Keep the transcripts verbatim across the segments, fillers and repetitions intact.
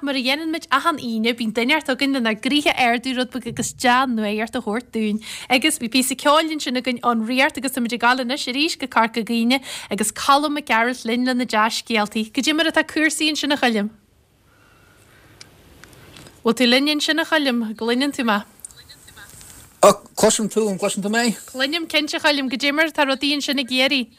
Mar a dhéanann muid achan Aoine, bíonn duine inteacht againn lenár gcroíthe a ardú rud beag agus dea-nuacht a thabhairt dúinn. Agus bhí píosa ceoil ansin againn ón Ríocht agus táimid ag gabháil anois arís go Corca Dhuibhne agus Colm Mac Gearailt linn lena dea-scéaltaí. Goidé mar atá cúrsaí ansin a Choilm? Bhfuil tú linn ansin a Choilm, gcluineann tú mé? Cloisim tú an gcloiseann tú mé? Cluinim cinnte Choilm, goidé mar atá rudaí ansin i gCiarraí.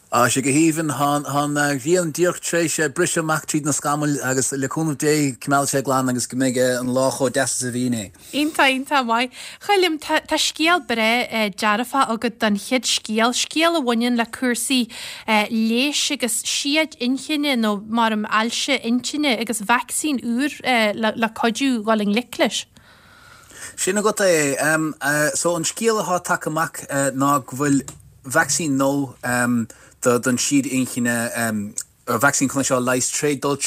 Á sé go haoibhinn tá an ghrian díreach tar éis briseadh amach tríd na scamaill agus le cúnamh Dé coimeádfaidh sé glan agus go mbeidh an lá chomh deas is a bhí inné. Iontach iontach maith. Choilm tá tá scéal breá eh, dearfach agat don chéad scéal, scéal a bhaineann le cúrsaí eh, leighis agus siad inchinne nó mar am ailse intinne agus vacsaín úr eh, le, le cuidiú dul i ngleic leis. Sin agat é um, uh, so an scéal atá tagtha amach uh, ná go bhfuil vacsaín nó um, do don siad inchinne um, vacsaín chun seo leis trí dul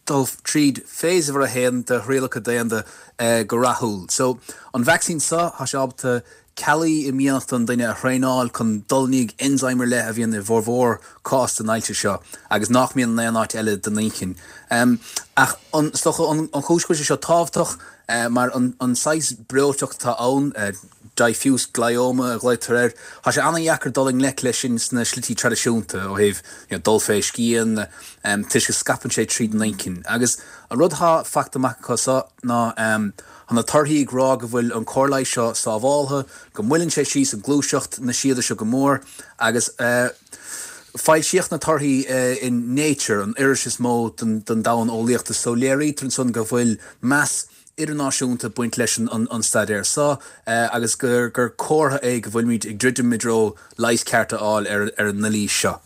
dul tríd phase a haon de thrialacha daonna uh, go rathúil. So an vacsaín seo tá sé ábalta cealla i mianach an duine a thraenáil chun dul i ndiaidh enzyme le a bhíonn i bhformhór cás den ailse seo agus nach mbíonn in aon áit eile den inchinn. Um, ach an an, an chúis seo tábhachtach uh, mar an, an saghas breoiteacht atá ann uh, diffuse glioma a ghlaotar air. Tá sé an-deacair dul i ngleic leis sin sna slí traidisiúnta ó thaobh you know, dul fé scian um, toisc go scaipeann sé tríd an inchinn. Agus an rud atá faighte amach acu seo ná um, na torthaí ag rá go bhfuil an cóir leighis seo sábháilte, go moilleann sé síos an gluaiseacht na siada seo go mór agus uh, Foilsíodh na torthaí uh, in Nature an iris is mó den, den domhan eolaíochta so léirítear ansan go bhfuil meas idirnáisiúnta baint leis an, an, an staidéar seo uh, agus gur gur comhartha é go bhfuilmid ag druidim i dtreo leigheas ceart a fháil ar, ar an ndoilí seo.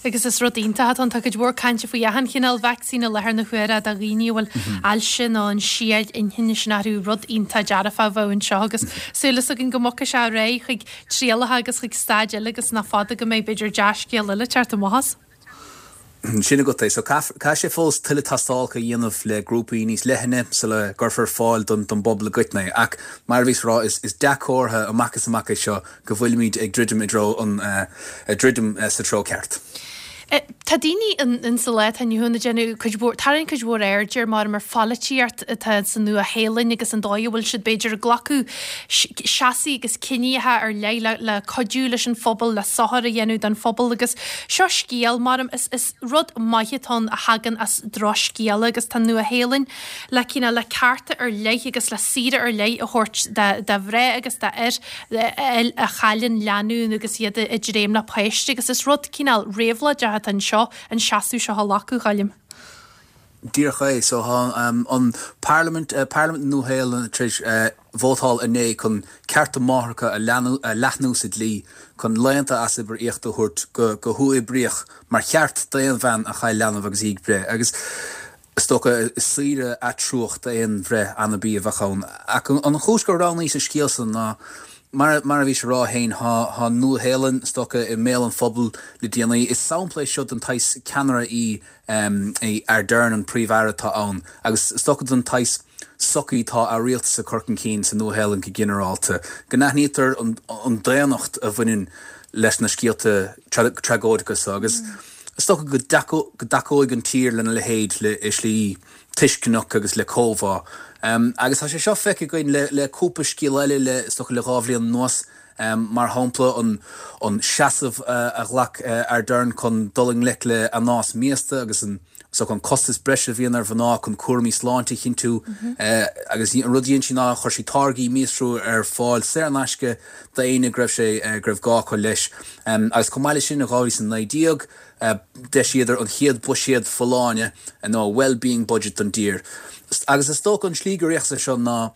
Agus is rud iontach an tá cuid mhór cainte faoi achan chineál vacsaín i láthair na huaire do dhaoine bhfuil ailse nó an siad inchinne sin orthu rud iontach dearfach a bheith anseo agus súil againn go mbogfaidh sé réidh chuig trialacha agus chuig staid eile agus nach fada go mbeidh b'fhéidir dea-scéal eile teacht amach. Sin agat é, so caithfidh sé fós tuilleadh tástálacha a dhéanamh le grúpaí níos leithne sula gcuirfear ar fáil don don bpobal i gcoitinne. Ach mar a bhí rá is, is dea-chomhartha amach is amach é seo go bhfuilimid ag druidim i dtreo an uh, druidim uh, sa treo ceart. Tá daoine in sa lá atá inniu ann ag déanamh cuid mhór tarraing cuid mhór aird ar mar mar pholaitíocht atá sa Nua-Shéalainn agus an dóigh a bhfuil siad b'fhéidir ag glacadh seasamh agus cinntí ar leith le, le cuidiú leis an phobal le sochar a dhéanamh don phobal agus seo scéal mar is, is rud maith atá a thagann as drochscéal agus tá Nua-Shéalainn le cineál le cearta ar leith agus le saoire ar leith a thabhairt do mhná agus d'fhir a chailleann leanbh agus iad i dréim le páiste agus is rud cineál réabhlóideach atá anseo an seasamh seo a ghlacadh Choilm. Díreach é so um, an Parliament uh, Parliament Nua-Shéalainn tar éis uh, vótáil inné chun cearta máithreacha a a leathnú sa dlí chun laethanta as obair íoctha a thabhairt go, go huathoibríoch mar cheart d'aon bhean a chaill leanbh agus í ag breith. Agus is dócha is saoire atruach d'aon bhreith anabaí a bheadh ann. Ach an chúis gur roghnaíodh an scéal san ná mar mar a bhí sé rá féin tá Nua-Shéalainn is dócha i mbéal an phobail le déanaí. Is sampla seo den saghas ceannaire í um, é Ardern an príomh-aire atá ann, agus is dócha den saghas sochaí tá a rialtas ag cur chun cinn sa Nua-Shéalainn go ginearálta. Go n-aithnítear an, an daonnacht a bhaineann leis na scéalta tragóideacha so agus mm. is dócha go go dtacóidh an tír lena leithéid le i slí tuisceanach agus le comhbhá. Um, agus tá sé seo feicthe againn le, le cúpla scéal eile le is dócha le dhá bhliain anuas um, mar shampla an, an seasamh uh, a ghlac uh, Ardern chun dul i ngleic le anás míosta agus an so an costas breise a bhíonn ar mhná chun cúraimí sláinte a chinntiú mm -hmm. uh, agus an rud sin ná chuir sí táirgí míostrú ar fáil saor in aisce d'aoinne go raibh sé uh, go raibh gá acu leis. Um, agus chomh maith sin in dhá mhíle naoi déag, uh, d'eisigh an chéad bhuiséad folláine nó well-being budget don tír. Agus is dócha an slí gur réitigh seo ná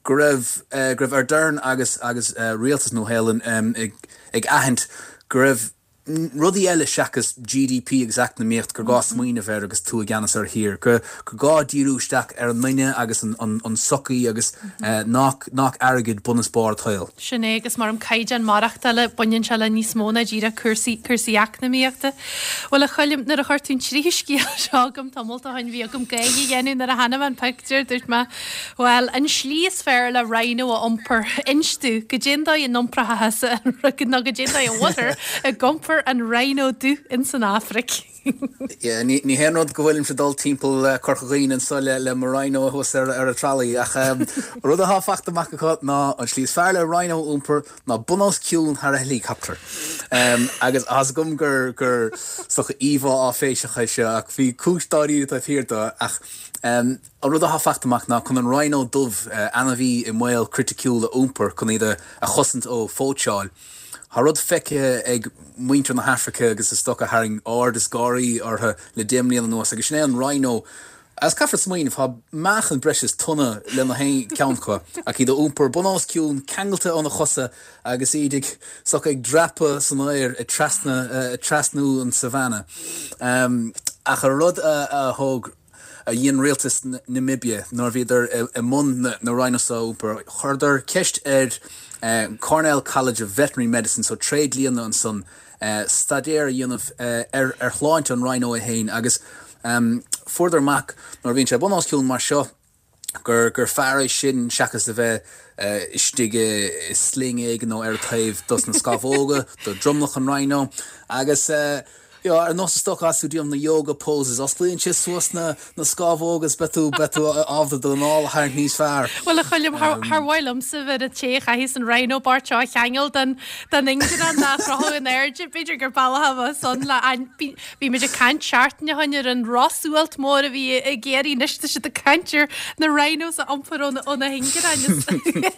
go raibh uh, go raibh Ardern agus agus uh, rialtas Nua-Shéalainn um, ag, ag aithint go raibh rudaí eile seachas GDP agus eacnamaíocht gur gá smaoineamh air agus tú i gceannas ar thír, go go gá díriú isteach ar an duine agus an, an, an sochaí agus uh, nach, nach airgead bun is barr an tsaoil. Sin é agus mar an caighdeán maireachtála baineann sé le níos mó ná díreach cúrsaí cúrsaí eacnamaíochta. Well a Choilm nuair a chuir tú an tríú scéal seo agam tamall ó shin bhí agam gáire a dhéanamh nuair a chonaic mé an pictiúr dúirt mé Well an slí is fearr le rhino a iompar inis domh goidé an dóigh a n-iomprófása nó goidé an dóigh a bhfuiltear ag iompar iompar an rhino dubh ins an Afraic. Yeah, ní ní haon rud go bhfuilimse dul timpeall uh, Corca Dhuibhne anso le le mo rhino thuas ar ar a trolley ach um, rud atá fachta amach acu ná an slí is fearr le rhino iompar ná bun os cionn thar a helicopter. Um, agus as gum gur gur socha íomhá áiféiseach é seo ach bhí cúis dáiríre taobh thiar de ach um, an rud atá fachta amach ná chun an rhino dubh uh, ainmhí i mbaol criticiúil a iompar chun iad a a chosaint ó phóitseáil. Tá rud feicthe ag muintir na hAfraice agus is dócha tharraing aird is gáirí orthu le deich mbliana anuas agus sin é an rhino As caithfear smaoineamh tá meáchan breis is tonna lena haon ceann acu ach iad a iompar bun os cionn ceangailte óna chosa agus iad ag socha ag dreapadh san aer ag trasna uh, trasnú an savanna. Um, ach a rud a, a thóg a dhein rialtas Namibia nuair bhíodar i mbun na, na rhinos a iompar chuireadar ceist ar uh, Cornell College of Veterinary Medicine so tréidlianna ansan uh, staidéar a dhéanamh uh, ar, ar shláinte an rhino é féin agus um, fuaireadar amach nuair bhíonn sé bun os cionn mar seo gur gur fearr é sin seachas a bheith uh, istigh i sling éigin nó ar taobh dos na scamhóga do dromlach an rhino agus uh, Jo ar nós stoc asú díom na yoga poses osclaíonn sé suas na na scamhóga beidh tú beidh tú ábalta d'anáil a tharraingt níos fearr. Well a Choilm thar mhaith liomsa bheith a té chaithis an rhino bart seo a cheangal den den ingean na chrothú in airde b'fhéidir gur bealach san le bhí muid ag caint seachtain ó shin ar an rosualt mór a bhí i gCiarraí anois tá siad ag caint ar na rhinos a iompar ó na hingean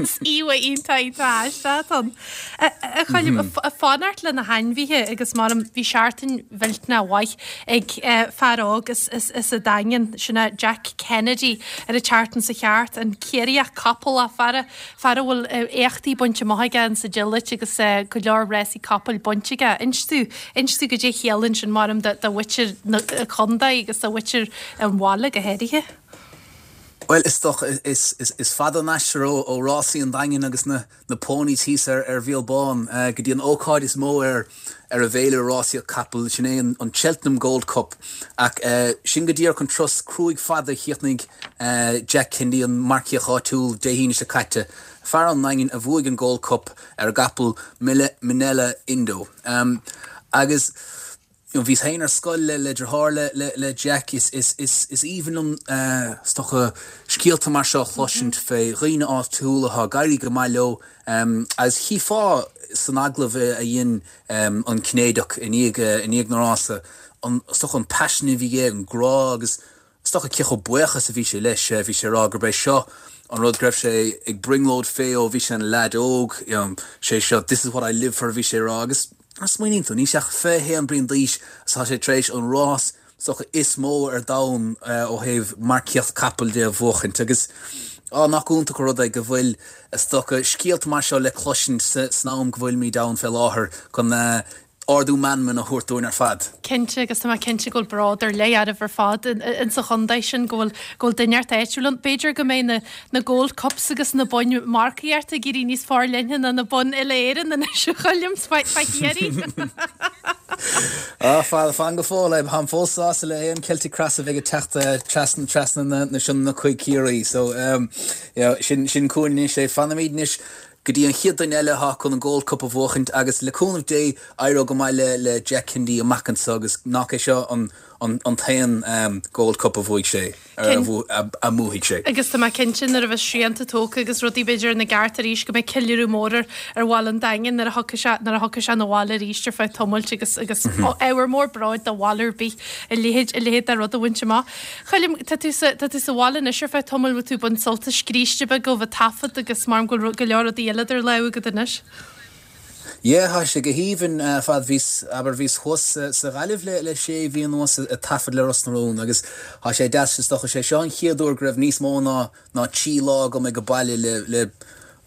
is íomhá iontach iontach aisteach. A Choilm a fanacht le na hainmhithe agus mar bhí seachtain mhillteanach mhaith ag fear óg as as an Daingean sin é Jack Kennedy ar an tseachtain seo thart an Ciarraíoch capall a fear fear a bhfuil éachtaí bainte amach aige an sa agility agus go leor rásaí capall bainte aige. Inis tú inis tú goidé chiallaíonn sin mar do mhuintir na contae agus do mhuintir an bhaile go háirithe. Well is dócha is, is, is fada an aistear ó, ó rásaí an Daingin agus na, na ponies thíos ar ar Mhíol Bán uh, go dtí an ócáid is mó ar ar an bhféile rásaíocht capall sin é an, an Cheltenham Gold Cup ach uh, sin go díreach an turas cruaidh fada chríochnaigh uh, Jack Kennedy an marcaíoch áitiúil Dé hAoine seo caite. Fear ón nDaingean a bhuaigh an Gold Cup ar a gcapall Minella Indo. Um, agus You know, bhíos féin ar scoil le le deartháir le, le, le Jack is, is, is, is aoibhinn liom uh, is dócha scéalta mar seo chloisint fé dhaoine áitiúla atá ag éirí go maith leo um, agus chífeá san agallamh a dhein um, an Cinnéideach i ndiaidh i ndiaidh na rása an is dócha an passion a bhí aige an grá agus is dócha cé chomh buíoch is a bhí sé leis bhí sé rá gurb é seo an rud go raibh sé ag brionglóid fé ó bhí sé ina leaid óg you know, sé seo this is what I live for bhí sé rá agus smaoiníonn tú níl sé ach fiche haon bliain d'aois tá sé tar éis an rás socha is mó ar domhan uh, ó thaobh marcaíocht capall de a bhuachaint agus á nach iontach an rud é go bhfuil is dócha scéalta mar seo le cloisint san am go bhfuilimid ann fé láthair chun uh, ardú meanman a thabhairt dúinn ar fad. Cinnte agus tá cinnte go bhfuil bród ar leith oraibh ar fad in sa chontae sin go bhfuil go bhfuil duine áitiúil ann. B'fhéidir go mbeidh na, na Gold Cups agus na boinn marcaíochta ag éirí níos forleithne ná na boinn uile-Éireann anois a Choilm fá Chiarraí. Á fan fan go fóill é táim fós sásta le aon Celtic Cross a bheith ag teacht trasna trasna na, na sin na chuig Ciarraí so um, you know, sin sin chugainn anois é fanfaimid anois go dtí an chéad duine eile atá chun an Gold Cup a bhuachaint agus le cúnamh Dé éireoidh go maith le le Jack Kennedy amach anseo agus nach é seo an an an t-aon um, Gold Cup a bhuaigh sé a mbuafaidh sé. Agus tá mé cinnte nuair a bheas srianta tógtha agus rudaí b'fhéidir ina gceart arís go mbeidh ceiliúradh mór ar bhaile an Daingin nuair a thiocfaidh sé nuair a thiocfaidh sé 'na bhaile arís ar feadh tamaill agus agus ábhar mór bróid do bhaile ar bith a leithéid a leithéid de rud a bhaint amach. Choilm tá tú sa tá tú sa bhaile anois ar feadh tamaill bhfuil tú ag baint sult as scríste beag ó bheith taifead agus mar go go leor rudaí eile idir lámha agat anois. Yeah, tá sé go haoibhinn uh, fad bhíos aber bhíos thuas uh, sa Ghaillimh le le sé mhí anuas ag taifead le Ros na Rún agus tá sé deas is dócha sé seo an chéad uair go raibh níos mó ná ná trí lá agam ag baile le le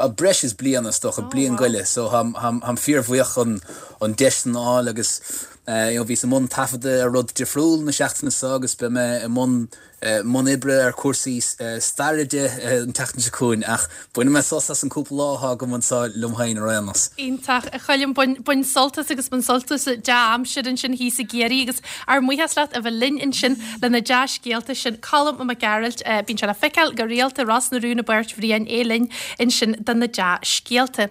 a breis is bliain is dócha bliain go leith so táim táim fíorbhuíoch an an deis sin a fháil agus uh, you know, bhíos i mbun taifeadta ar rud difriúil na seachtaine seo agus beidh mé i mbun mbun oibre ar cúrsaí staire de an tseachtain seo chugainn ach bainfidh mé sos as an cúpla lá atá agam anseo liom féin ar aon nós. Iontach a Choilm bain sult as agus bain sult as dea-aimsir ansin thíos i gCiarraí agus ár mbuíochas leat a bheith linn ansin le na dea-scéalta sin Colm Mac Gearailt bíonn sé le feiceáil go rialta Ros na Rún i bPáirc Bhriain é linn ansin do na dea-scéalta.